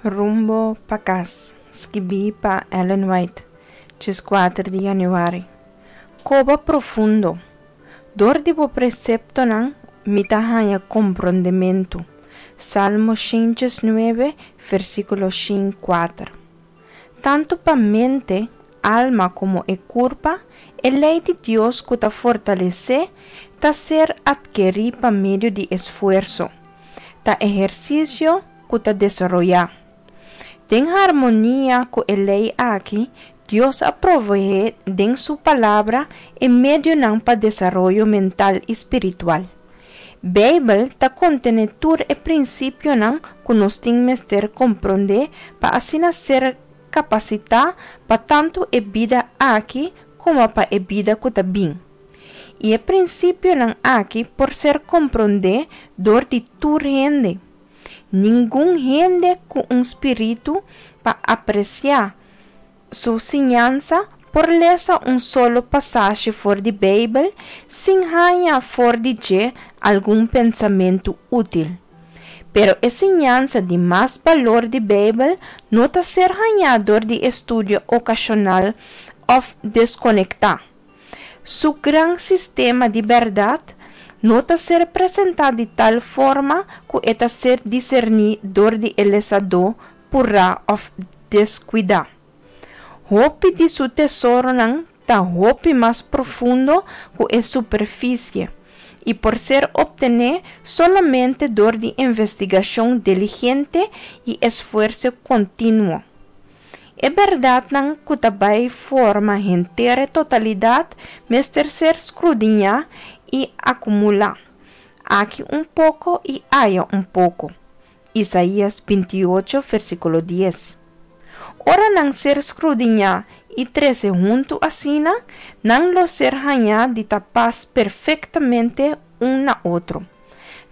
Rumbo pa kas, skibí pa Ellen White, 14 di yanüari. Koba profundo. Dor di bo preseptonan mi ta haña komprondementu. Salmo 109, versíkulo 104. Tantu pa mente, alma komo e kurpa, e lei di Dios ku ta fortalesé ta ser atkerí pa medio di esfuerso. Ta ehersisio ku ta desaroyá. Den harmonia ku e lei aki, Dios a proveé den su Palabra e medionan pa desaroyo mental i spiritual. Beibel ta kontené tur e prinsipionan ku nos tin mester komprondé pa asina ser kapasitá pa tantu e bida aki komo pa e bida ku ta bin. I e prinsipionan aki por ser komprondé dor di tur hende. Ningun hende ku un spiritu pa apresiá su siñansa por lesa un solo pasashi for di Beibel sin haña for di dje algun pensamentu útil. Pero e siñansa di mas balor di Beibel no ta ser hañá dor di estudio okashonal òf deskonektá. Su gran sistema di bèrdat no ta ser presentá di tal forma ku e ta ser diserní dor di e lesadó purá òf deskuidá. Hopi di su tesoronan ta hopi mas profundo ku e superfisie i por ser optené solamente dor di investigashon diligente i esfuerso kontinuo. E bèrdatnan ku ta bai forma henter e totalidat mester ser skrudiñá i akumulá, aki un poko i aya un poko. Isaías 28, versíkulo 10. Ora nan ser skrudiñá i trese huntu asina, nan lo ser hañá di ta pas perfektamente un na otro.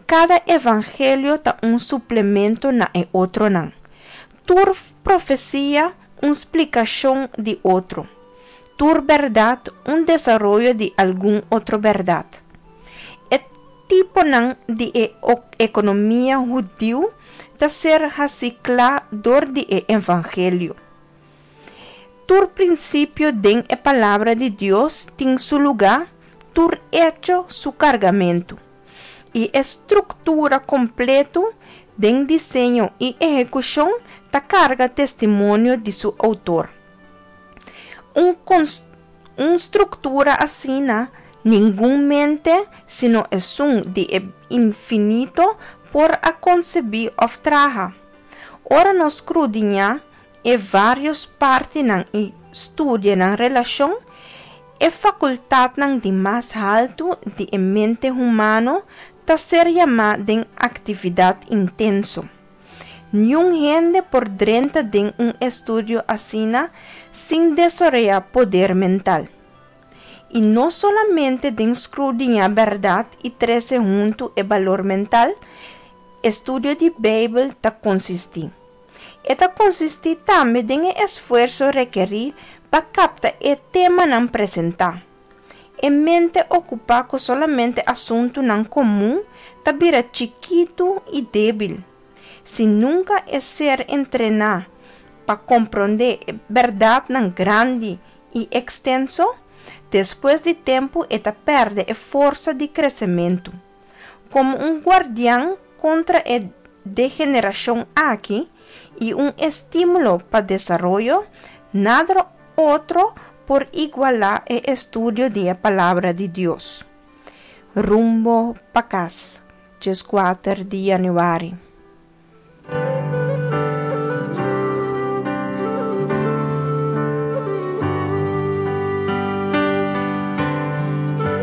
Kada evangelio ta un suplemento na e otronan. Tur profesia un splikashon di otro. Tur bèrdat un desaroyo di algun otro bèrdat. E tiponan di e ekonomia hudiu ta ser hasi kla dor di e evangelio. Tur prinsipio den e Palabra di Dios tin su lugá, tur echo su kargamentu. I e struktura kompletu den diseño i ehekushon ta karga testimonio di su outor. Un un struktura asina ningun mente sino esun di e Infinito por a konsebí òf traha. Ora nos skrudiñá e vários partinan i studia nan relashon, e fakultatnan di mas haltu di e mente humano ta ser yamá den aktividat intenso. Niun hende por drenta den un estudio asina sin desaroyá poder mental. I no solamente den skrudiñá bèrdat i trese huntu e balor mental, estudio di Beibel ta konsistí. E ta konsistí tambe den e esfuerso rekerí pa kapta e temanan presentá. E mente okupá ku solamente asuntunan komun ta bira chikitu i débil. Si nunka e ser entrená pa komprondé e bèrdatnan grandi i ekstenso, despues di tempu e ta pèrdè e forsa di kresementu. Komo un guardian kontra e degenerashon aki i un estímulo pa desaroyo, nada otro por igualá e estudio di e Palabra di Dios. Rumbo pa kas, 14 di yanüari.